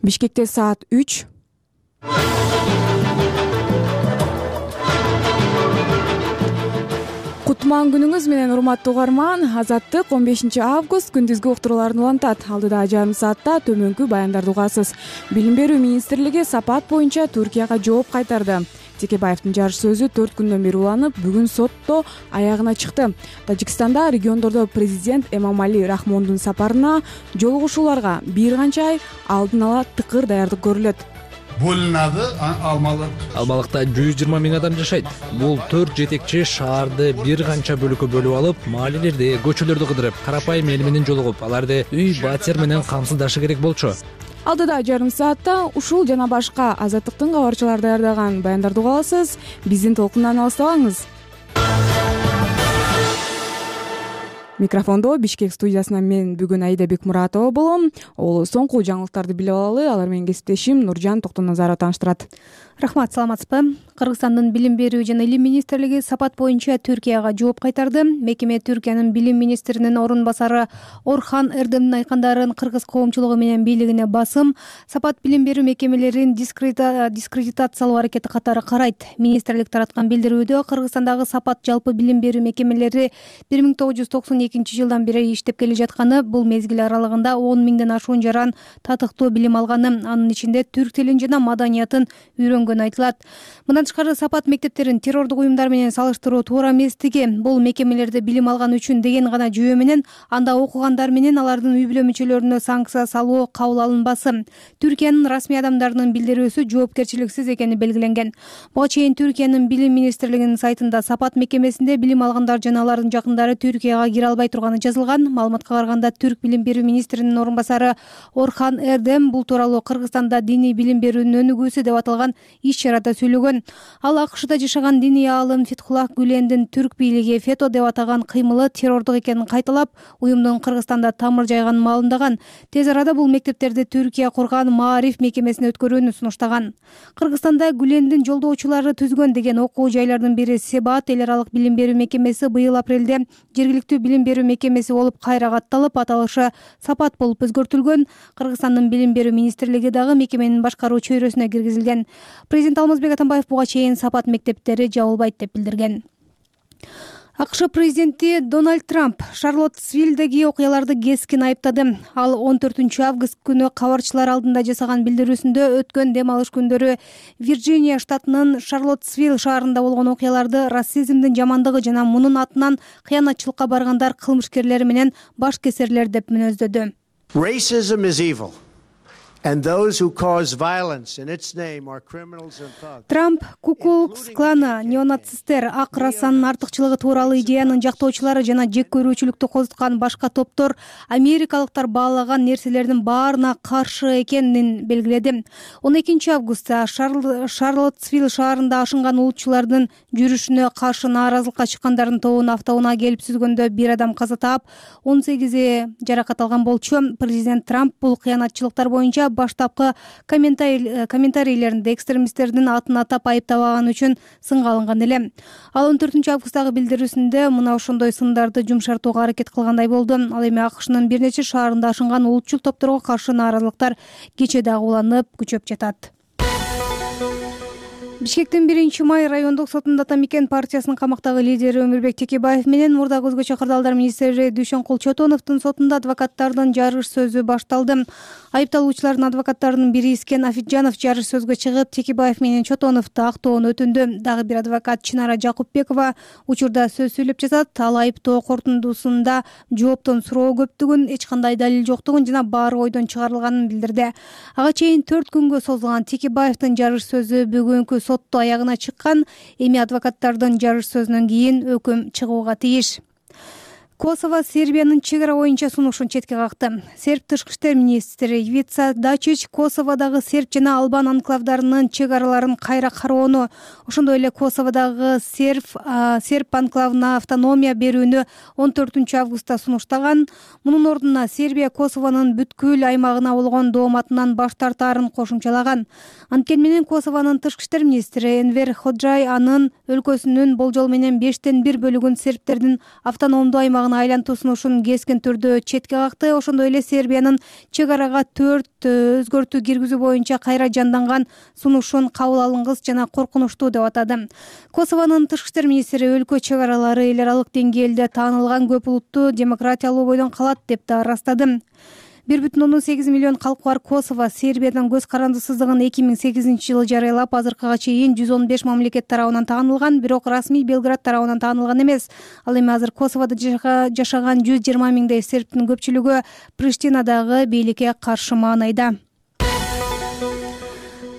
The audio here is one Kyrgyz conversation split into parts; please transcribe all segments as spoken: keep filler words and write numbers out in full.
Бишкекте саат үч. Кутман күнүңүз менен урматтуу угарман. Азаттык он бешинчи август күндүзгү уктурууларын улантат. Алдыда жарым саатта төмөнкү баяндарды угасыз. Билим берүү министрлиги сапат боюнча Түркияга жооп кайтарды. Текебаевдин жарыш сөзү төрт күндөн бери уланып, бүгүн сотто аягына чыкты. Тажикстанда региондордо президент Эмомали Рахмондун сапарына жолугушууларга бир канча ай алдын ала тыкыр даярдык көрүлөт. Бөлүнады Алмалык. Алмалыкта жүз жыйырма миң адам жашайт. Бул төрт жетекчи шаарды бир канча бөлүккө бөлүп алып, маалилерди, көчөлөрдү кыдырып, карапайым эл менен жолугуп, аларды үй батер менен камсыздашы керек болчу. Алдыда жарым саатта ушул жана башка Азаттыктын кабарчылары даярдаган баяндарды уга аласыз. Биздин толкундан алыстабаңыз. Микрофондо Бишкек студиясынан мен бүгүн Аида Бекмуратова болом. Ол соңку жаңылыктарды билип алалы. Алар менен кесиптешим Нуржан Токтоназарова тааныштырат. Рахмат, саламатсызбы? Кыргызстандын билим берүү жана илим министрлиги сапат боюнча Түркияга жооп кайтарды. Мекеме Түркиянын билим министринин орун басары Орхан Эрдемдин айткандарын кыргыз коомчулугу менен бийлигине басым, сапат билим берүү мекемелерин дискредитациялоо аракети катары карайт. Министрлик тараткан билдирүүдө Кыргызстандагы сапат жалпы билим берүү мекемелери бир миң тогуз жүз токсон экинчи жылдан бери иштеп келе жатканы, бул мезгил аралыгында он миңден ашуун жаран татыктуу билим алганы, анын ичинде түрк тилин жана маданиятын үйрөнгөнү айтылат. Мындан тышкары сапат мектептерин террордук уюмдар менен салыштыруу туура эместиги, бул мекемелерде билим алган үчүн деген гана жүйө менен анда окугандар менен алардын үй бүлө мүчөлөрүнө санкция салуу кабыл алынбасы. Түркиянын расмий адамдарынын билдирүүсү жоопкерчиликсиз экени белгиленген. Буга чейин Түркиянын билим министрлигинин сайтында сапат мекемесинде билим алгандар жана алардын жакындары Түркияга кире албай турганы жазылган. Маалыматка караганда, түрк билим берүү министринин орун басары Орхан Эрдем бул тууралуу Кыргызстанда диний билим берүүнүн өнүгүүсү деп аталган иш чарада сүйлөгөн. Ал АКШда жашаган диний аалым Фетхуллах Гүлендин түрк бийлиги фето деп атаган кыймылы террордук экенин кайталап, уюмдун Кыргызстанда тамыр жайганын маалымдаган. Тез арада бул мектептерди Түркия курган Маариф мекемесине өткөрүүнү сунуштаган. Кыргызстанда Гүлендин жолдоочулары түзгөн деген окуу жайлардын бири Себаат эл аралык билим берүү мекемеси быйыл апрелде жергиликтүү билим берүү мекемеси болуп кайра катталып, аталышы сапат болуп өзгөртүлгөн. Кыргызстандын билим берүү министрлиги дагы мекеменин башкаруу чөйрөсүнө киргизилген. Президент Алмазбек Атамбаев буга чейин сапат мектептери жабылбайт деп билдирген. АКШ президенти Дональд Трамп Шарлоттсвиллдеги окуяларды кескин айыптады. Ал он төртүнчү август күнү кабарчылар алдында жасаган билдирүүсүндө өткөн дем алыш күндөрү Вирджиния штатынын Шарлоттсвилл шаарында болгон окуяларды расизмдин жамандыгы жана мунун атынан кыянатчылыкка баргандар кылмышкерлери менен баш кесерлер деп мүнөздөдү. Racism is evil. And those who cause violence in its name are criminals and thugs. Трамп Ку-клукс кланы, неонацисттер, ак расанын артыкчылыгы тууралуу идеянын жактоочулары жана жек көрүүчүлүктү козуткан башка топтор америкалыктар баалаган нерселердин баарына каршы экенин белгиледи. он экинчи августта Шарлоттсвилл шаарында ашынган улутчулардын жүрүшүнө каршы нааразылыкка чыккандардын тобун автоунаа келип сүзгөндө бир адам каза таап, он сегизи жаракат алган болчу. Президент Трамп бул кыянатчылыктар боюнча баштапкы комментарийлеринде экстремисттердин атын атап айыптабаган үчүн сынга алынган эле. Ал он төртүнчү августтагы билдирүүсүндө мына ошондой сындарды жумшартууга аракет кылгандай болду. Ал эми АКШнын бир нече шаарында ашынган улутчул топторго каршы нааразылыктар кече дагы уланып күчөп жатат. Бишкектин биринчи май райондук сотунда Атамекен партиясынын камактагы лидери Өмүрбек Текебаев менен мурдагы өзгө чакырдалдар министри Дүйшөнкул Чотоновдун сотунда адвокаттардын жарыш сөзү башталды. Айыпталуучулардын адвокаттарынын бири Искен Афиджанов жарыш сөзгө чыгып, Текебаев менен Чотоновду актоону өтүндү. Дагы бир адвокат Чынара Жакупбекова учурда сөз сүйлөп жатат. Ал айыптоо корутундусунда жооптон суроо көптүгүн, эч кандай далил жоктугун жана баары ойдон чыгарылганын билдирди. Ага чейин төрт күнгө созулган Текебаевдин жарыш сөзү бүгүнкү сотто аягына чыккан. Эми адвокаттардын жарыш сөзүнөн кийин өкүм чыгууга тийиш. Косово Сербиянын чек ара боюнча сунушун четке какты. Серб тышкы иштер министри Ивица Дачич Косоводагы серб жана албан анклавдарынын чек араларын кайра кароону, ошондой эле Косоводагы серб серб анклавына автономия берүүнү он төртүнчү августта сунуштаган. Мунун ордуна Сербия Косовонун бүткүл аймагына болгон дооматынан баш тартаарын кошумчалаган. Анткени менен Косовонун тышкы иштер министри Энвер Ходжай анын өлкөсүнүн болжол менен бештен бир бөлүгүн сербтердин автономдуу аймагына аймагына айлантуу сунушун кескин түрдө четке какты. Ошондой эле Сербиянын чек арага төрт өзгөртүү киргизүү боюнча кайра жанданган сунушун кабыл алынгыс жана коркунучтуу деп атады. Косовонун тышкы иштер министри өлкө чек аралары эл аралык деңгээлде таанылган көп улуттуу демократиялуу бойдон калат деп да ырастады. бир бүтүн ондон сегиз миллион калкы бар Косово Сербиядан көз карандысыздыгын эки миң сегизинчи жылы жарыялап, азыркыга чейин жүз он беш мамлекет тарабынан таанылган, бирок расмий Белград тарабынан таанылган эмес. Ал эми азыр Косоводо жашаган жүз жыйырма миңдей сербтин көпчүлүгү Приштинадагы бийликке каршы маанайда.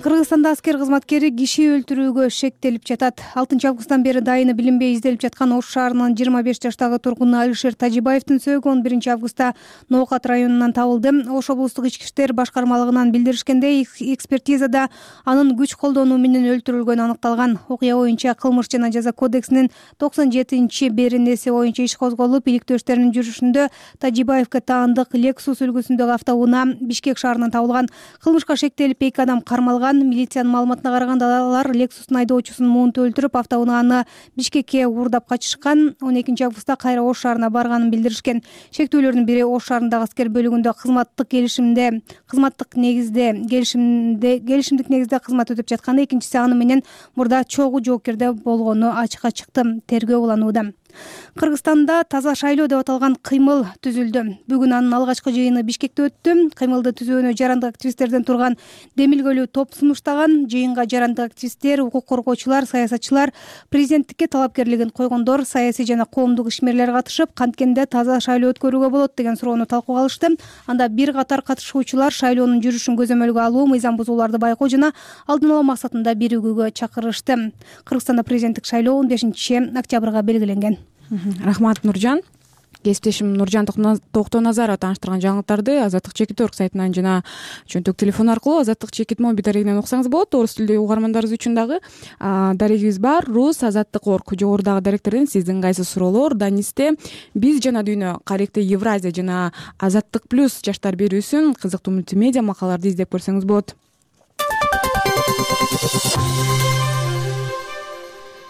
Кыргызстанда аскер кызматкери киши өлтүрүүгө шектелип жатат. алтынчы августтан бери дайыны билинбей изделип жаткан Ош шаарынын жыйырма беш жаштагы тургуну Алишер Тажибаевдин сөөгү он биринчи августта Ноокат районунан табылды. Ош облустук ички иштер башкармалыгынан билдиришкендей, экспертизада анын күч колдонуу менен өлтүрүлгөнү аныкталган. Окуя боюнча Кылмыш жана жаза кодексинин токсон жетинчи беренеси боюнча иш козголуп, иликтөөчтөрдүн жүрүшүндө Тажибаевге таандык Lexus үлгүсүндөгү автоунаа Бишкек шаарынан табылган. Кылмышка шектелип эки адам кармалган. Милициянын маалыматына караганда алар Lexus'ун айдоочусун муунтуп өлтүрүп, автоунааны Бишкекке уурдап качышкан. он экинчи августта кайра Ош шаарына барганын билдиришкен. Шектүүлөрдүн бири Ош шаарындагы аскер бөлүгүндө кызматтык келишимде кызматтык негизде келишимде келишимдик негизде кызмат өтөп жатканы, экинчиси аны менен мурда чогуу жоопкерде болгону ачыкка чыкты. Тергөө уланууда. Кыргызстанда таза шайлоо деп аталган кыймыл түзүлдү. Бүгүн анын алгачкы жыйыны Бишкекте өттү. Кыймылды түзүүнү жарандык активисттерден турган демилгөлүү топ сунуштаган. Жыйынга жарандык активисттер, укук коргоочулар, саясатчылар, президенттикке талапкерлигин койгондор, саясий жана коомдук ишмерлер катышып, канткенде таза шайлоо өткөрүүгө болот деген суроону талкууга алышты. Анда бир катар катышуучулар шайлоонун жүрүшүн көзөмөлгө алуу, мыйзам бузууларды байкоо жана алдын алуу максатында биригүүгө чакырышты. Кыргызстанда президенттик шайлоо он бешинчи октябрга белгиленген. Рахмат, Нуржан. Кесиптешим Нуржан Токтоназарова тааныштырган жаңылыктарды Азаттык чекит орг сайтынан жана чөнтөк телефон аркылуу Азаттык чекит моби дарегинен уксаңыз болот. Орус тилдүү угармандарыбыз үчүн дагы дарегибиз бар. Рус Азаттык орг. Жогорудагы даректерден сиздин кайсы суроолор, Данисте биз жана дүйнө, Каректе Евразия жана Азаттык плюс жаштар берүүсүн кызыктуу мультимедиа макалаларды издеп көрсөңүз болот.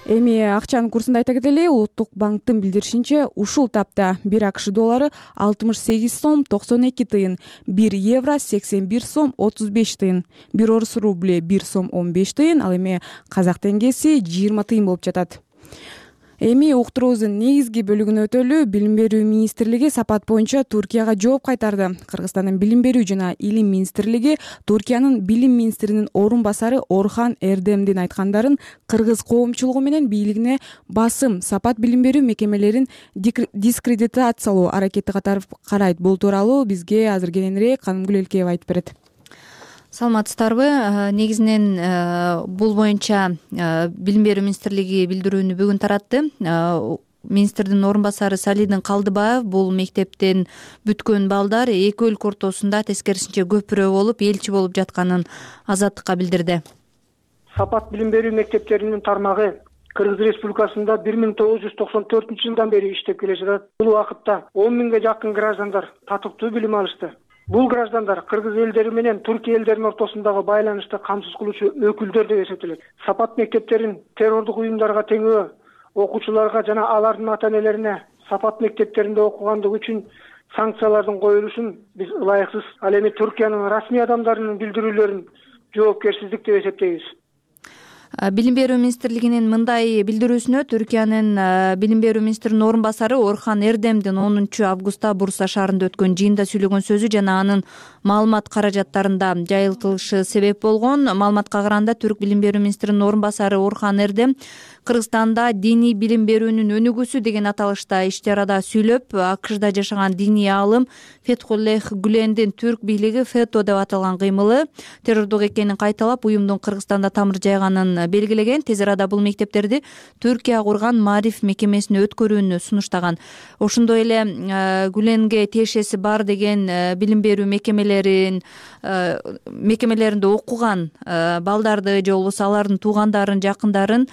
Эми акчанын курсун айта кетели. Улуттук банктын билдиришинче, ушул тапта бир АКШ доллары алтымыш сегиз сом токсон эки тыйын, бир евро сексен бир сом отуз беш тыйын, бир орус рубли бир сом он беш тыйын, ал эми казак теңгеси жыйырма тыйын болуп жатат. Эми уктуруубуздун негизги бөлүгүнө өтөлү. Билим берүү министрлиги сапат боюнча Туркияга жооп кайтарды. Кыргызстандын билим берүү жана илим министрлиги Туркиянын билим министринин орун басары Орхан Эрдемдин айткандарын кыргыз коомчулугу менен бийлигине басым, сапат билим берүү мекемелерин дискредитациялоо аракети катары карайт. Бул тууралуу бизге азыр кененирээк Канымгүл Элкеева айтып берет. Саламатсыздарбы? Негизинен бул боюнча билим берүү министрлиги билдирүүнү бүгүн таратты. Министрдин орун басары Салидин Калдыбаев бул мектептен бүткөн балдар эки өлкө ортосунда тескерисинче көпүрө болуп, элчи болуп жатканын Азаттыкка билдирди. Сапат билим берүү мектептеринин тармагы Кыргыз Республикасында бир миң тогуз жүз токсон төртүнчү жылдан бери иштеп келе жатат. Бул убакытта он миңге жакын граждандар татыктуу билим алышты. Бул граждандар Кыргыз элдери менен Түркия элдеринин ортосундагы байланышты камсыз кылуучу өкүлдөр деп эсептелет. Сапат мектептерин террордук уюмдарга теңөө, окуучуларга жана алардын ата-энелерине сапат мектептеринде окугандыгы үчүн санкциялардын коюлушун биз ылайыксыз, ал эми Түркиянын расмий адамдарынын билдирүүлөрүн жоопкерсиздик деп эсептейбиз. Билим берүү министрлигинин мындай билдирүүсүнө Түркиянын билим берүү министринин орун басары Орхан Эрдемдин онунчу августта Бурса шаарында өткөн жыйында сүйлөгөн сөзү жана анын маалымат каражаттарында жайылтылышы себеп болгон. Маалыматка караганда Түрк билим берүү министринин орун басары Орхан Эрдем Кыргызстанда диний билим берүүнүн өнүгүүсү деген аталышта ишти арада сүйлөп, АКШда жашаган диний аалым Фетхуллех Гүлендин түрк бийлиги ФЭТО деп аталган кыймылы террордук экенин кайталап, уюмдун Кыргызстанда тамыр жайганын белгилеген. Тез арада бул мектептерди Түркия курган Мариф мекемесине өткөрүүнү сунуштаган. Ошондой эле Гүленге тиешеси бар деген билим берүү мекемелерин мекемелеринде окуган балдарды же болбосо алардын туугандарын, жакындарын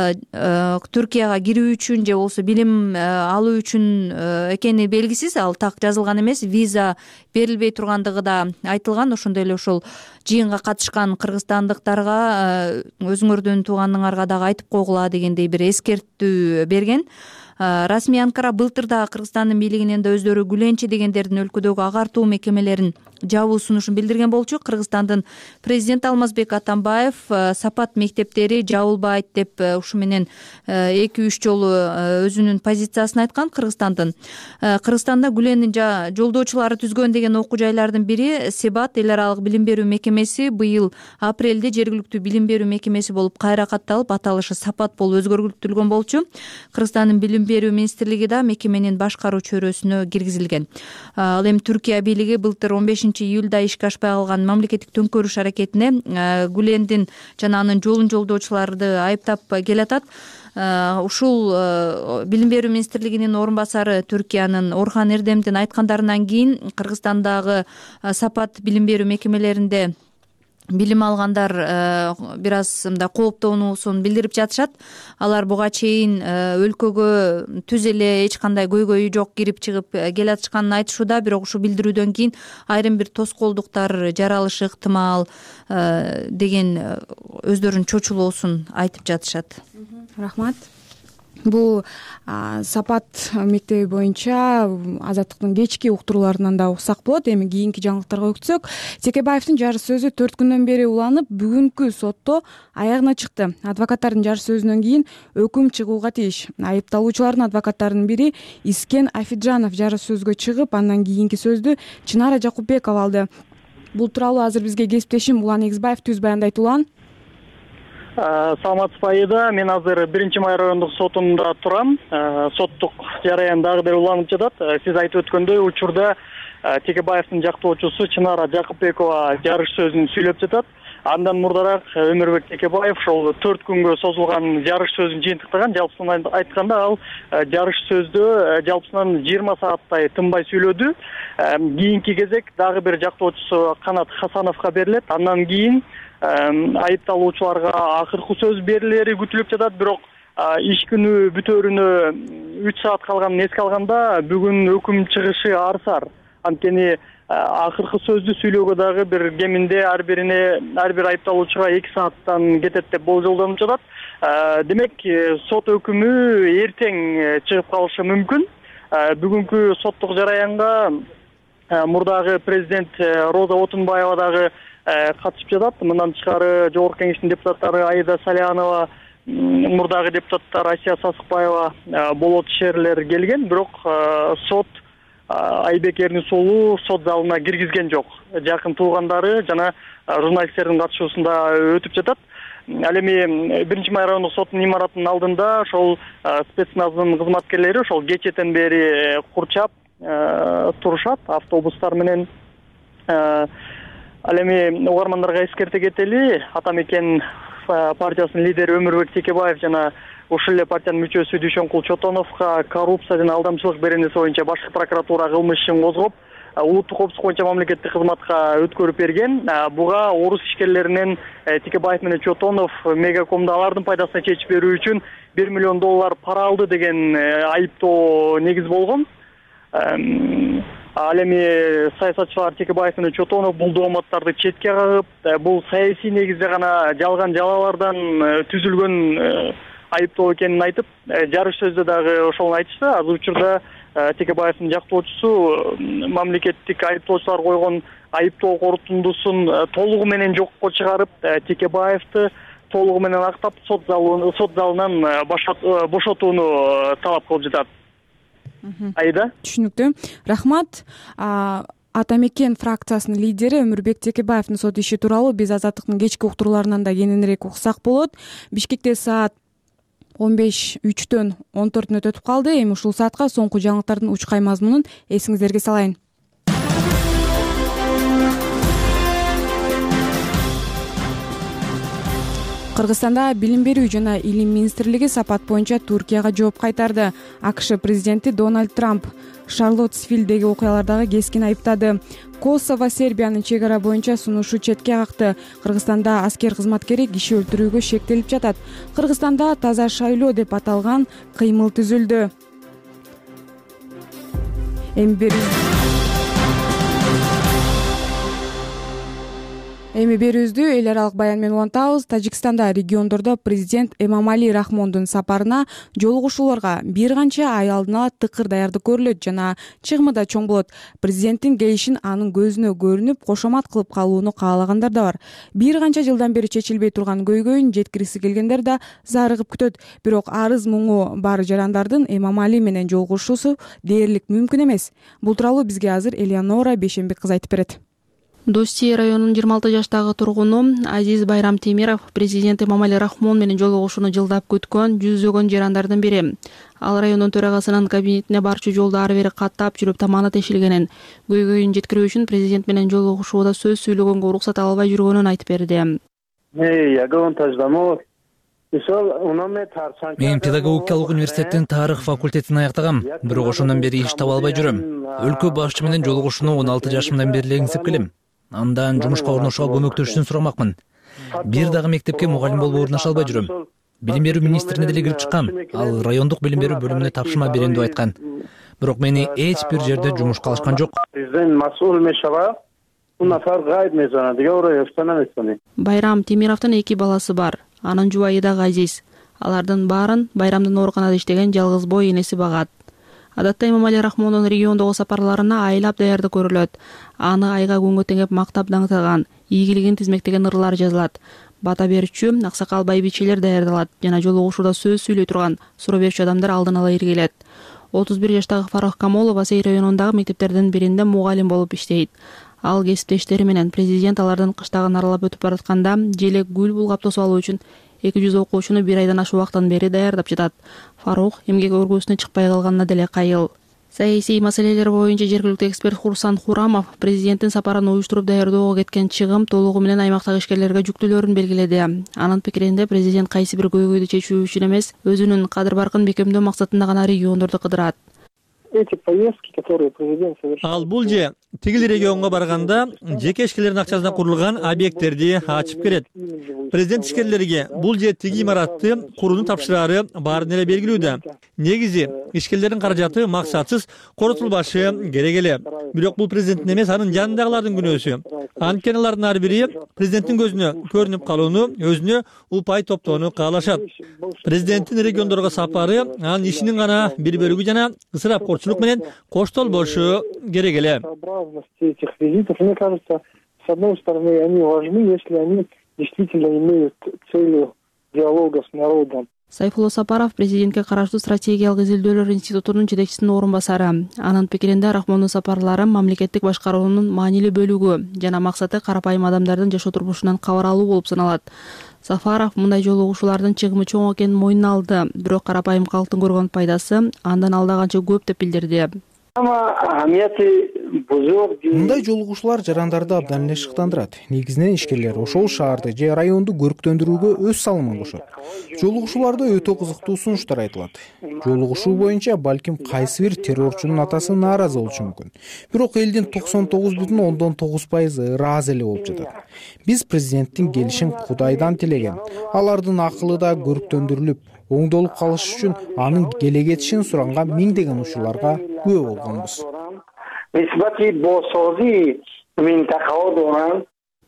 Түркияга кирүү үчүн же болбосо билим алуу үчүн экени белгисиз. Ал так жазылган эмес, виза берилбей тургандыгы да айтылган. Ошондой эле ошол жыйынга катышкан кыргызстандыктарга өзүңөрдүн тууганыңарга дагы айтып койгула дегендей бир эскертүү берген. Расмий Анкара былтыр дагы Кыргызстандын бийлигинен да өздөрү гүленчи дегендердин өлкөдөгү агартуу мекемелерин жабуу сунушун билдирген болчу. Кыргызстандын президенти Алмазбек Атамбаев сапат мектептери жабылбайт деп ушу менен эки үч жолу өзүнүн позициясын айткан. Кыргызстандын Кыргызстанда Гүлендин жолдоочулары түзгөн деген окуу жайлардын бири Себат эл аралык билим берүү мекемеси быйыл апрелде жергиликтүү билим берүү мекемеси болуп кайра катталып, аталышы Сапат болуп өзгөртүлгөн болчу. Кыргызстандын билим берүү министрлиги да мекеменин башкаруу чөйрөсүнө киргизилген. Ал эми Түркия бийлиги былтыр он бешинчи июлда ишке ашпай калган мамлекеттик төңкөрүш аракетине Гүлендин жана анын жолун жолдоочуларды айыптап келатат. Ушул билим берүү министрлигинин орун басары Түркиянын Орхан Эрдемдин айткандарынан кийин Кыргызстандагы Сапат билим берүү мекемелеринде билим алгандар бир аз мындай кооптонуусун билдирип жатышат. Алар буга чейин өлкөгө түз эле эч кандай көйгөйү жок кирип чыгып келатышканын айтышууда, бирок ушул билдирүүдөн кийин айрым бир тоскоолдуктар жаралышы ыктымал деген өздөрүнүн чочулоосун айтып жатышат. Рахмат. Бул Сапат мектеби боюнча Азаттыктын кечки уктурууларынан да уксак болот. Эми кийинки жаңылыктарга өтсөк, Текебаевдин жарыш сөзү төрт күндөн бери уланып, бүгүнкү сотто аягына чыкты. Адвокаттардын жарыш сөзүнөн кийин өкүм чыгууга тийиш. Айыпталуучулардын адвокаттарынын бири Искен Афиджанов жарыш сөзгө чыгып, андан кийинки сөздү Чынара Жакупбекова алды. Бул тууралуу азыр бизге кесиптешим Улан Эгизбаев түз баяндайт. Улан. Саламатсызбы Айда, мен азыр биринчи май райондук сотунда турам. Соттук жараян дагы бир уланып жатат. Сиз айтып өткөндөй, учурда Текебаевдин жактоочусу Чынара Жакупбекова жарыш сөзүн сүйлөп жатат. Андан мурдараак Өмүрбек Текебаев ошол төрт күнгө созулган жарыш сөзүн жыйынтыктаган. Жалпысынан айтканда, ал жарыш сөздө жалпысынан жыйырма сааттай тынбай сүйлөдү. Кийинки кезек дагы бир жактоочусу Канат Хасановго берилет. Андан кийин айыпталуучуларга акыркы сөз берилери күтүлүп жатат. Бирок иш күнү бүтөөрүнө үч саат калганын эске алганда, бүгүн өкүм чыгышы арсар. Анткени акыркы сөздү сүйлөөгө дагы бир кеминде ар бирине ар бир айыпталуучуга эки сааттан кетет деп болжолдонуп жатат. Демек, сот өкүмү эртең чыгып калышы мүмкүн. Бүгүнкү соттук жараянга мурдагы президент Роза Отунбаева дагы катышып жатат. Мындан тышкары Жогорку Кеңештин депутаттары Аида Салянова, мурдагы депутаттар Асия Сасыкбаева, Болот Шерлер келген. Бирок сот Айбек Эрнисулу сот залына киргизген жок. Жакын туугандары жана журналисттердин катышуусунда өтүп жатат. Ал эми биринчи май райондук соттун имаратынын алдында ошол спецназдын кызматкерлери ошол кечэтен бери курчап турушат автобустар менен. Ал эми угармандарга эскерте кетели, Атамекен партиясынын лидери Өмүрбек Текебаев жана ушул эле партиянын мүчөсү Дүйшөнкул Чотоновго коррупция жана алдамчылык беренеси боюнча башкы прокуратура кылмыш ишин козгоп, улуттук коопсуздук боюнча мамлекеттик кызматка өткөрүп берген. Буга орус ишкерлеринен Текебаев менен Чотонов Мегакомду алардын пайдасына чечип берүү үчүн бир миллион доллар пара алды деген айыптоо негиз болгон. Ал эми саясатчылар Текебаев менен Чотонов бул дооматтарды четке кагып, бул саясий негизде гана жалган жалалардан түзүлгөн айыптоо экенин айтып, жарыш сөздө дагы ошону айтышты. Азыр учурда Текебаевдин жактоочусу мамлекеттик айыптоочулар койгон айыптоо корутундусун толугу менен жокко чыгарып, Текебаевди толугу менен актап сот залынан сот залынан бошотууну талап кылып жатат. Айда. Түшүнүктүү. Рахмат. Атамекен фракциясынын лидери Өмүрбек Текебаевдин сот иши тууралуу биз Азаттыктын кечки уктурууларынан да кененирээк уксак болот. Бишкекте саат он беш үчтөн он төрт мүнөт өтүп калды. Эми ушул саатка соңку жаңылыктардын учкай мазмунун эсиңиздерге салайын. Кыргызстанда билим берүү жана илим министрлиги сапат боюнча Түркияга жооп кайтарды. АКШ президенти Дональд Трамп Шарлоттсвилдеги окуялардагы кескин айыптады. Косово Сербиянын чек ара боюнча сунушу четке какты. Кыргызстанда аскер кызматкери киши өлтүрүүгө шектелип жатат. Кыргызстанда таза шайлоо деп аталган кыймыл түзүлдү. Эми бир Эми берүүбүздү эл аралык баян менен улантабыз. Тажикстанда региондордо президент Эмомали Рахмондун сапарына жолугушууларга бир канча ай алдын ала тыкыр даярдык көрүлөт жана чыгымы да чоң болот. Президенттин келишин анын көзүнө көрүнүп, кошомат кылып калууну каалагандар да бар. Бир канча жылдан бери чечилбей турган көйгөйүн жеткиргиси келгендер да зарыгып күтөт. Бирок арыз муңу бар жарандардын Эмомали менен жолугушуусу дээрлик мүмкүн эмес. Бул тууралуу бизге азыр Элеонора Бейшенбек кызы айтып берет. Дости районунун жыйырма алты жаштагы тургуну Азиз Байрам Темиров президент Эмомали Рахмон менен жолугушууну жылдап күткөн жүздөгөн жарандардын бири. Ал райондун төрагасынын кабинетине барчу жолду ары бери каттап жүрүп таманы тешилгенин, көйгөйүн жеткирүү үчүн президент менен жолугушууда сөз сүйлөгөнгө уруксат ала албай жүргөнүн айтып берди. Мен педагогикалык университеттин тарых факультетин аяктагам, бирок ошондон бери иш таба албай жүрөм. Өлкө башчы менен жолугушууну он алты жашымдан бери эле иңсеп келем. Андан жумушка орношууга көмөктөшүүсүн сурамакмын. Бир дагы мектепке мугалим болуп орноша албай жүрөм. Билим берүү министрине деле кирип чыккам. Ал райондук билим берүү бөлүмүнө тапшырма берем деп айткан. Бирок мени эч бир жерде жумушка алышкан жок. Байрам Темировдун эки баласы бар. Анын жубайы да Азиз. Алардын баарын Байрамдын ооруканада иштеген жалгыз бой энеси багат. Адатта Эмомали Рахмондун региондогу сапарларына айлап даярдык көрүлөт. Аны айга күнгө теңеп мактап даңтаган, ийгилигин тизмектеген ырлар жазылат. Бата берүүчү аксакал байбичелер даярдалат жана жолугушууда сөз сүйлөй турган суроо берүүчү адамдар алдын ала иргилет. отуз бир жаштагы Фарах Камолов Асей районундагы мектептердин биринде мугалим болуп иштейт. Ал кесиптештери менен президент алардын кыштагын аралап өтүп баратканда желек гүл булгап тосуп алуу үчүн эки жүз окуучуну бир айдан ашык убакыттан бери даярдап жатат. Фарух эмгек өргүүсүнө чыкпай калганына деле кайыл. Саясий маселелер боюнча жергиликтүү эксперт Хурсан Хурамов президенттин сапарын уюштуруп даярдоого кеткен чыгым толугу менен аймактагы ишкерлерге жүктөлөрүн белгиледи. Анын пикиринде президент кайсы бир көйгөйдү чечүү үчүн эмес, өзүнүн кадыр баркын бекемдөө максатында гана региондорду кыдырат. Ал бул же тигил регионго барганда жеке ишкерлердин акчасына курулган объекттерди ачып келет. Президент ишкерлерге бул же тиги имаратты курууну тапшырары баарын эле белгилүүдө. Негизи ишкерлердин каражаты максатсыз коротулбашы керек эле. Бирок бул президенттин эмес, анын жанындагылардын күнөөсү. Анткени алардын ар бири президенттин көзүнө көрүнүп калууну, өзүнө упай топтоону каалашат. Президенттин региондорго сапары анын ишинин гана бир бөлүгү жана ысырапкорчулук менен коштол болушу керек эле. Этих визитов, мне кажется, с одной стороны, они важны, если они действительно имеют целью диалога с народом. Сайфулло Сапаров президентке караштуу стратегиялык изилдөөлөр институтунун жетекчисинин орун басары. Анын пикиринде Рахмондун сапарлары мамлекеттик башкаруунун маанилүү бөлүгү жана максаты карапайым адамдардын жашоо турмушунан кабар алуу болуп саналат. Сафаров мындай жолугушуулардын чыгымы чоң экенин мойнуна алды, бирок карапайым калктын көргөн пайдасы андан алда канча көп деп билдирди. Мындай жолугушуулар жарандарды абдан эле шыктандырат. Негизинен ишкерлер ошол шаарды же районду көрктөндүрүүгө өз салымын кошот. Жолугушууларда өтө кызыктуу сунуштар айтылат. Жолугушуу боюнча балким кайсы бир террорчунун атасы нааразы болушу мүмкүн. Бирок элдин токсон тогуз бүтүн ондон тогуз пайызы ыраазы эле болуп жатат. Биз президенттин келишин Кудайдан тилеген. Алардын акылы да көрктөндүрүлүп, оңдолуп калыш үчүн анын келе кетишин суранган миңдеген учурларга күбө болгонбуз.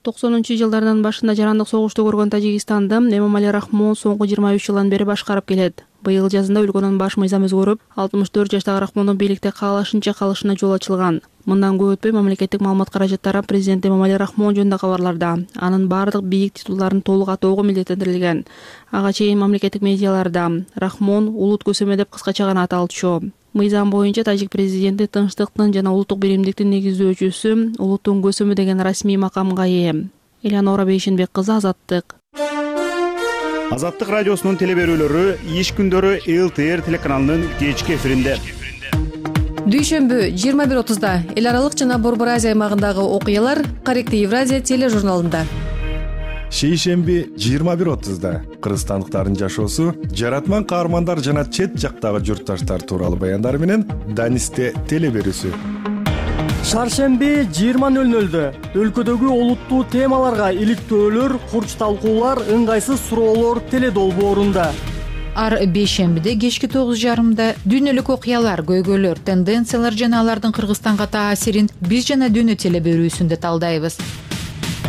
токсонунчу жылдардын башында жарандык согушту көргөн Тажикстанды Эмомали Рахмон соңку жыйырма үч жылдан бери башкарып келет. Быйыл жазында өлкөнүн баш мыйзам өзгөрүп, алтымыш төрт жаштагы Рахмондун бийликте каалашынча калышына жол ачылган. Мындан көп өтпөй мамлекеттик маалымат каражаттары президент Эмомали Рахмон жөнүндө кабарларда анын бардык бийик титулдарын толук атоого милдеттендирилген. Ага чейин мамлекеттик медиаларда Рахмон улут көсөмө деп кыскача гана аталчу. Мыйзам боюнча тажик президенти тынчтыктын жана улуттук биримдиктин негиздөөчүсү, улуттун көсөмү деген расмий макамга ээ. Элеонора Бейшенбек кызы, Азаттык. Азаттык радиосунун телеберүүлөрү иш күндөрү эл тэ эр телеканалынын кечки эфиринде. Дүйшөмбү жыйырма бир отузда эл аралык жана Борбор Азия аймагындагы окуялар Корректив Евразия тележурналында. Шейшемби жыйырма бир отузда кыргызстандыктардын жашоосу, жаратман каармандар жана чет жактагы журтташтар тууралуу баяндар менен Данисте телеберүүсү. Шаршемби жыйырма нөл нөлдө өлкөдөгү олуттуу темаларга иликтөөлөр, курч талкуулар, ыңгайсыз суроолор теледолбоорунда. Ар бейшембиде кечки тогуз жарымда дүйнөлүк окуялар, көйгөйлөр, тенденциялар жана алардын Кыргызстанга таасирин биз жана дүйнө телеберүүсүндө талдайбыз.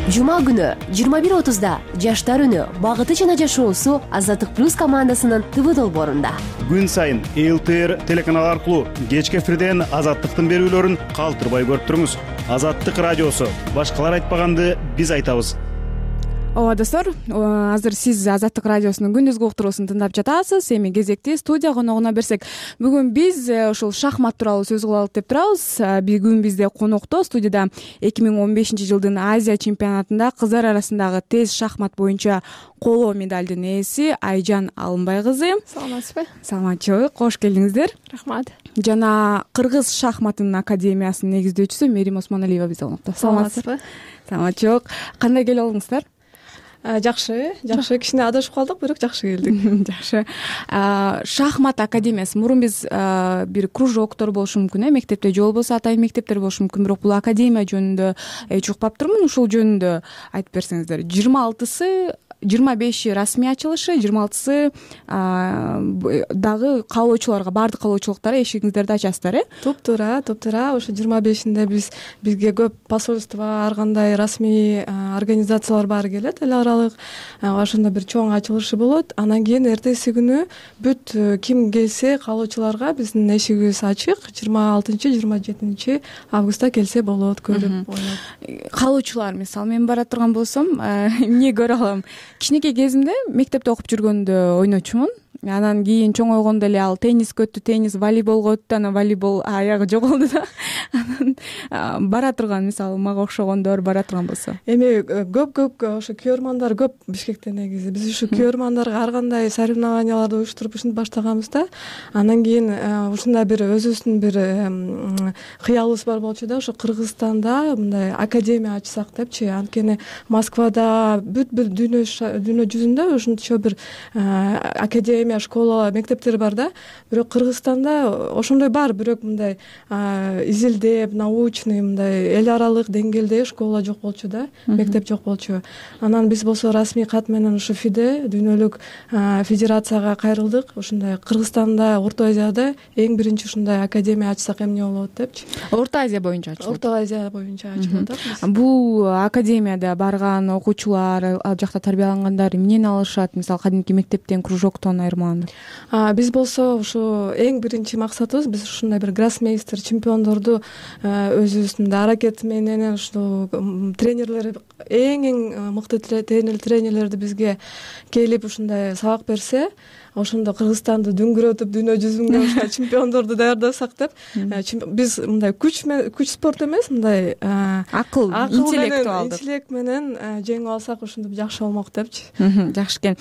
жума күнү жыйырма бир отузда жаштар үнү багыты жана жашоосу Азаттык плюс командасынын ТВ долбоорунда. Күн сайын эл тэ эр телеканалы аркылуу кечки эфирден Азаттыктын берүүлөрүн калтырбай көрүп туруңуз. Азаттык радиосу. Башкалар айтпаганды биз айтабыз. Ооба достор, азыр сиз Азаттык радиосунун күндүзгү уктуруусун тыңдап жатасыз. Эми кезекти студия коногуна берсек. Бүгүн биз ушул шахмат тууралуу сөз кылалык деп турабыз. Бүгүн бизде конокто студияда эки миң он бешинчи жылдын Азия чемпионатында кыздар арасындагы тез шахмат боюнча коло медалдын ээси Айжан Алымбай кызы. Саламатсызбы? Саламатчылык, кош келдиңиздер. Рахмат. Жана Кыргыз шахматынын академиясынын негиздөөчүсү Мерим Осмоналиева бизде конокто. Саламатсызбы? Саламатчылык. Кандай келип алдыңыздар? Жакшы, жакшы. Кичине адашып калдык, бирок жакшы келдик. Жакшы. Шахмат академиясы. Мурун биз бир кружоктор болушу мүмкүн, э, мектепте же болбосо атайын мектептер болушу мүмкүн, бирок бул академия жөнүндө эч укпаптырмын. Ушул жөнүндө айтып берсеңиздер. жыйырма алтысы жыйырма беши расмий ачылышы, жыйырма алтысы дагы каалоочуларга, баардык каалоочулуктар эшигиңиздерди ачасыздар, э? Туп-туура, туп-туура. Ошо жыйырма бешинде биз бизге көп посольство, ар кандай расмий организациялар баары келет, эл аралык. Ошондо бир чоң ачылышы болот. Анан кийин эртеси күнү бүт ким келсе каалоочуларга биздин эшигибиз ачык. жыйырма алтынчы жыйырма жетинчи августта келсе болот, көрүп ойноп. Каалоочулар, мисалы мен бара турган болсом, эмне көрө алам? Кичинекей кезимде мектепте окуп жүргөндө ойночумун. Анан кийин чоңойгондо эле ал тенниске өттү, теннис волейболго өттү, анан волейбол аягы жоголду да. Анан бара турган, мисалы мага окшогондор бара турган болсо. Эми көп-көп ошо күйөрмандар көп Бишкекте негизи. Биз ушу күйөрмандарга ар кандай соревнованияларды уюштуруп ушинтип баштаганбыз да. Анан кийин ушундай бир өзүбүздүн бир кыялыбыз бар болчу да, ошо Кыргызстанда мындай академия ачсак депчи. Анткени Москвада бүт-бүт дүйнө дүйнө жүзүндө ушунчо бир академия, школа, мектептер бар да. Бирок Кыргызстанда ошондой бар, бирок мындай изилдеп, научный, мындай эл аралык деңгээлде школа жок болчу да, мектеп жок болчу. Анан биз болсо расмий кат менен ушу ФИДе, дүйнөлүк федерацияга кайрылдык. Ушундай Кыргызстанда, Орто Азияда эң биринчи ушундай академия ачсак эмне болот депчи. Орто Азия боюнча ачылат. Орто Азия боюнча ачылат. Бул академияда барган окуучулар, ал жакта тарбиялангандар эмнени алышат? Мисалы кадимки мектептен, кружоктон айырмаланып. Биз болсо ушу эң биринчи максатыбыз биз ушундай бир гроссмейстер, чемпиондорду өзүбүздүн аракет менен ушул тренерлер, эң эң мыкты тренерлерди бизге келип ушундай сабак берсе, ошондо Кыргызстанды дүңгүрөтүп дүйнө жүзүндө чемпиондорду даярдасак деп, биз мындай күч күч спорт эмес, мындай акыл, интеллектуалдык интеллект менен жеңип алсак ушинтип жакшы болмок депчи. Жакшы экен.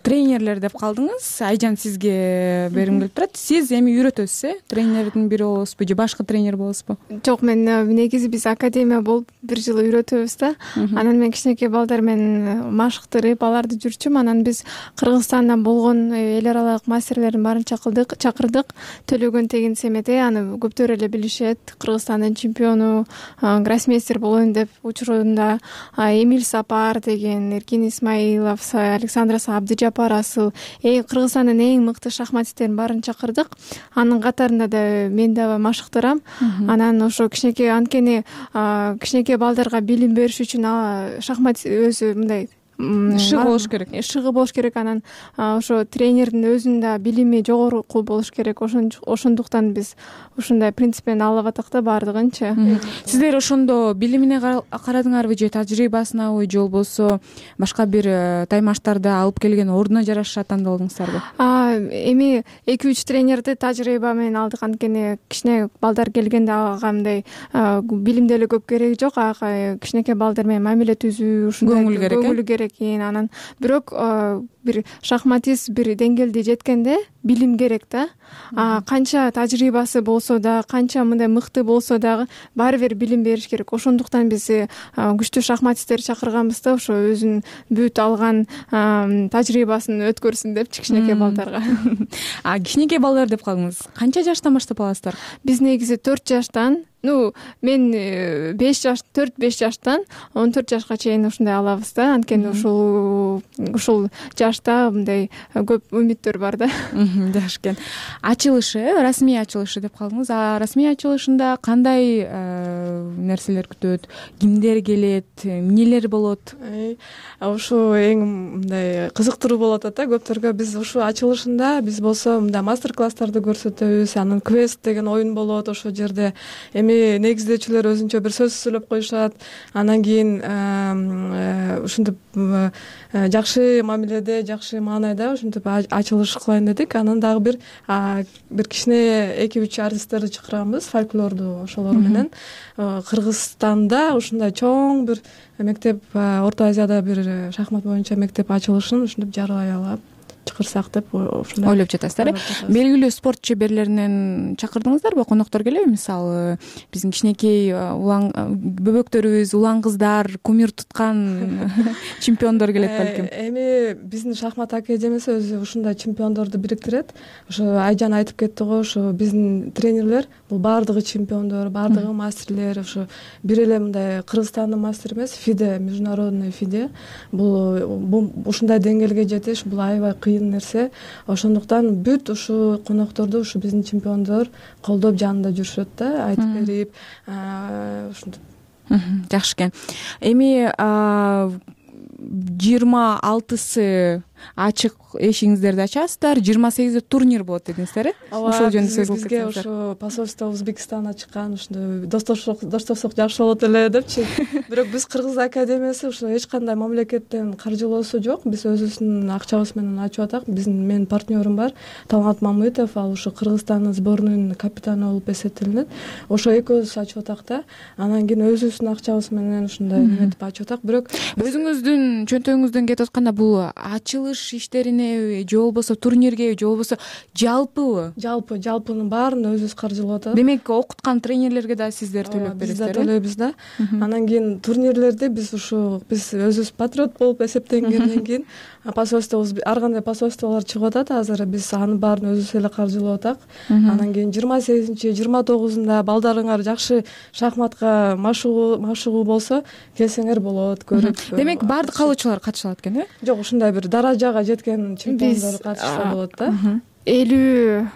Тренерлер деп калдыңыз. Айжан, сизге бергим келип турат. Сиз эми үйрөтөсүз, э? Тренердин бири болосузбу же башка тренер болосузбу? Жок, мен негизи биз академия болуп бир жыл үйрөтөбүз да. Анан мен кичинекей балдар менен машыктырып аларды жүрчүм. Анан биз Кыргызстандан болгон эл аралык мастерлердин баарын чакырдык, чакырдык. Төлөгөн Тегин Семете, аны көптөр эле билишет. Кыргызстандын чемпиону, гроссмейстер болоюн деп учурунда Эмиль Сапар деген, Эркин Исмаилов, Александра Абдыжапар Асыл, Кыргызстандын эң мыкты шахматисттердин баарын чакырдык. Анын катарында да мен да машыктырам. Анан ошо кичинекей, анткени кичинекей балдарга билим бериш үчүн шахмат өзү мындай шыгы болуш керек. Шыгы болуш керек. Анан ошо тренердин өзүнүн да билими жогору болуш керек. Ошондуктан биз ушундай принципен алып атак да баардыгынчы. Сиздер ошондо билимине карадыңарбы же тажрыйбасынабы же болбосо башка бир таймаштарды алып келген ордуна жараша тандап алдыңыздарбы? Эми эки үч тренерди тажрыйба менен алдык. Анткени кичине балдар келгенде ага мындай билим деле көп кереги жок. Ага кичинекей балдар менен мамиле түзүү, ушундай көңүл керек. Анан бирок бир шахматист бир деңгээлде жеткенде билим керек да. Канча тажрыйбасы болсо да, канча мындай мыкты болсо дагы баары бир билим бериш керек. Ошондуктан биз күчтүү шахматисттерди чакырганбыз да, ошо өзүнүн бүт алган тажрыйбасын өткөрсүн деп кичинекей балдарга. А кичинекей балдар деп калдыңыз. Канча жаштан баштап аласыздар? Биз негизи төрт жаштан ну мен беш жаш төрт беш жаштан он төрт жашка чейин ушундай алабыз да, анткени ушул ушул жашта мындай көп үмүттөр бар да. Жакшы экен. Ачылышы, расмий ачылышы деп калдыңыз. А расмий ачылышында кандай нерселер күтөт? Кимдер келет? Эмнелер болот? Ушу эң мындай кызыктыруу болуп атат да көптөргө. Биз ушу ачылышында биз болсо мындай мастер-класстарды көрсөтөбүз. Анан квест деген оюн болот ошол жерде. Эми негиздөөчүлөр өзүнчө бир сөз сүйлөп коюшат. Анан кийин ушинтип жакшы мамиледе, жакшы маанайда ушинтип ачылыш кылайын дедик. Анан дагы бир бир кичине эки үч артисттерди чакырганбыз, фольклорду ошолор менен. Кыргызстанда ушундай чоң бир мектеп, Орто Азияда бир шахмат боюнча мектеп ачылышын ушинтип жарыялай алып чакырсак деп ушундай ойлоп жатасыздар. Белгилүү спорт чеберлеринен чакырдыңыздарбы? Коноктор келеби? Мисалы, биздин кичинекей улан бөбөктөрүбүз, улан кыздар, кумир туткан чемпиондор келет балким. Эми биздин шахмат академиясы өзү ушундай чемпиондорду бириктирет. Ошо Айжан айтып кетти го, ошо биздин тренерлер бул баардыгы чемпиондор, баардыгы мастерлер, ошо бир эле мындай Кыргызстандын мастери эмес, ФИДЕ, международный ФИДЕ. Бул ушундай деңгээлге жетиш бул аябай кыйын нерсе. Ошондуктан бүт ушу конокторду ушу биздин чемпиондор колдоп жанында жүрүшөт да, айтып берип, ушинтип. Жакшы экен. Эми жыйырма алтысы ачык эшигиңиздерди ачасыздар, жыйырма сегизде турнир болот дедиңиздер, э? Ошол жөнүндө сөз кылып кетсеңиздер. Бизге ошо посольство Өзбекстан ачкан, ушундай достоштук достоштук жакшы болот эле депчи. Бирок биз Кыргыз академиясы ушо эч кандай мамлекеттен каржылоосу жок. Биз өзүбүздүн акчабыз менен ачып атак. Биздин менин партнерим бар, Талгат Мамытов, ал ушу Кыргызстандын сборунун капитаны болуп эсептелинет. Ошо экөөбүз ачып атак да. Анан кийин өзүбүздүн акчабыз менен ушундай эметип ачып атак. Бирок өзүңүздүн чөнтөгүңүздөн кетип атканда бул ачылыш иштерине же болбосо турнирге же болбосо жалпыбы? Жалпы, жалпынын баарын өзүбүз каржылап атабыз. Демек, окуткан тренерлерге да сиздер төлөп бересиздер, э? Биз да төлөйбүз да. Анан кийин турнирлерди биз ушу биз өзүбүз патриот болуп эсептенгенден кийин посольство, ар кандай посольстволор чыгып атат азыр, биз анын баарын өзүбүз эле каржылап атак. Анан кийин жыйырма сегизинчи, жыйырма тогузунда балдарыңар жакшы шахматка машыгуу машыгуу болсо, келсеңер болот, көрүп. Демек, баардык калуучулар катыша алат экен, э? Жок, ушундай бир даражага жеткен чемпиондор катышса болот да. элүү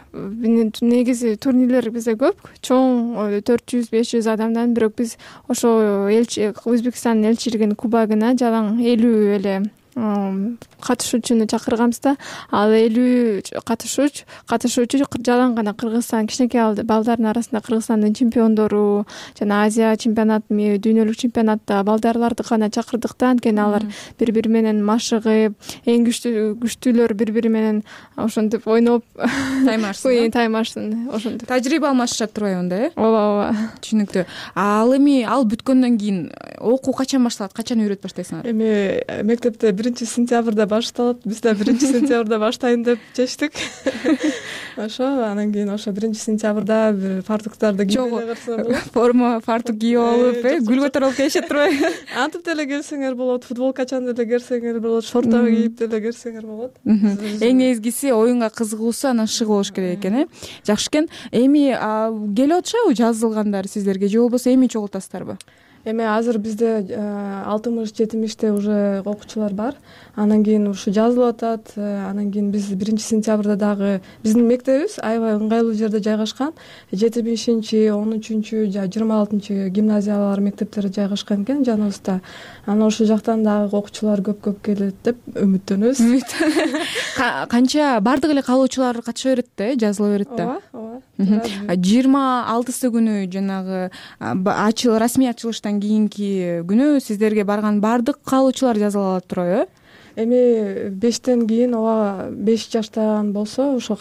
негизи турнирлер бизде көп, чоң төрт жүз беш жүз адамдан, бирок биз ошо элчи Өзбекстандын элчилигинин кубагына жалаң элүү эле катышуучуну чакырганбыз да. Ал элүү катышууч катышуучу жалаң гана Кыргызстан, кичинекей балдардын арасында Кыргызстандын чемпиондору жана Азия чемпионат, дүйнөлүк чемпионатта балдарларды гана чакырдык да, анткени алар бири-бири менен машыгып, эң күчтүү күчтүүлөр бири-бири менен ошентип ойноп таймашсын, таймашсын, ошентип тажрыйба алмашышат турбайбы анда, э? Ооба, ооба. Түшүнүктүү. Ал эми ал бүткөндөн кийин окуу качан башталат? Качан үйрөт баштайсыңар? Эми мектепте биринчи сентябрда башталат. Биз да биринчи сентябрда баштайын деп чечтик. Ошо анан кийин ошо биринчи сентябрда бир фартуктарды кийип эле форма фартук кийип алып, э, гүл көтөрүп келишет турбайбы? Антип деле келсеңер болот, футболкачан деле келсеңер болот, шорта кийип деле келсеңер болот. Эң негизгиси оюнга кызыгуусу анан шыгы болуш керек экен, э? Жакшы экен. Эми келип атышабы жазылгандар сиздерге же болбосо эми чогултасыздарбы? Эми азыр бизде алтымыш жетимиште уже окуучулар бар. Анан кийин ушу жазылып атат. Анан кийин биз биринчи сентябрда дагы биздин мектебибиз аябай ыңгайлуу жерде жайгашкан. жетимишинчи, он үчүнчү жана жыйырма алтынчы гимназиялар мектептери жайгашкан экен жаныбызда. Анан ошол жактан дагы окуучулар көп-көп келет деп үмүттөнөбүз. Канча бардык эле калуучулар катыша берет да, жазыла берет да. Ооба, ооба. жыйырма алтысы күнү жанагы ачыл расмий ачылыштан кийинки күнү сиздерге барган бардык калуучулар жазыла алат турбайбы? Эми бештен кийин ооба беш жаштан болсо ошо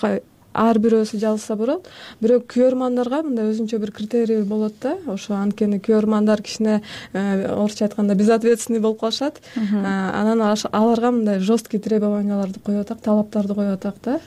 ар бирөөсү жазылса болот. Бирок күйөрмандарга мындай өзүнчө бир критерий болот да. Ошо анткени күйөрмандар кичине орусча айтканда безответственный болуп калышат. Анан аларга мындай жесткий требованияларды коюп атак, талаптарды коюп атак да.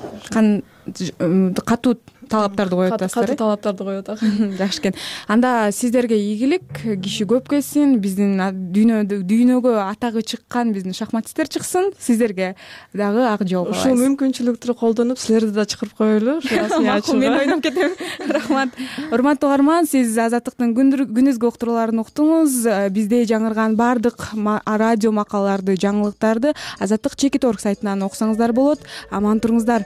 Катуу талаптарды коюп атасыздар. катуу талаптарды коюп атак. Жакшы экен. Анда сиздерге ийгилик, киши көп келсин, биздин дүйнөдө дүйнөгө атагы чыккан биздин шахматисттер чыксын, сиздерге дагы ак жол каалайбыз. Ушул мүмкүнчүлүктү колдонуп силерди да чакырып коелу. Макул, мен ойноп кетем. Рахмат. Урматтуу угарман, сиз Азаттыктын күнүзгү уктурууларын уктуңуз. Бизде жаңырган баардык радио макалаларды, жаңылыктарды Азаттык чекит точка орг сайтынан окусаңыздар болот. Аман туруңуздар.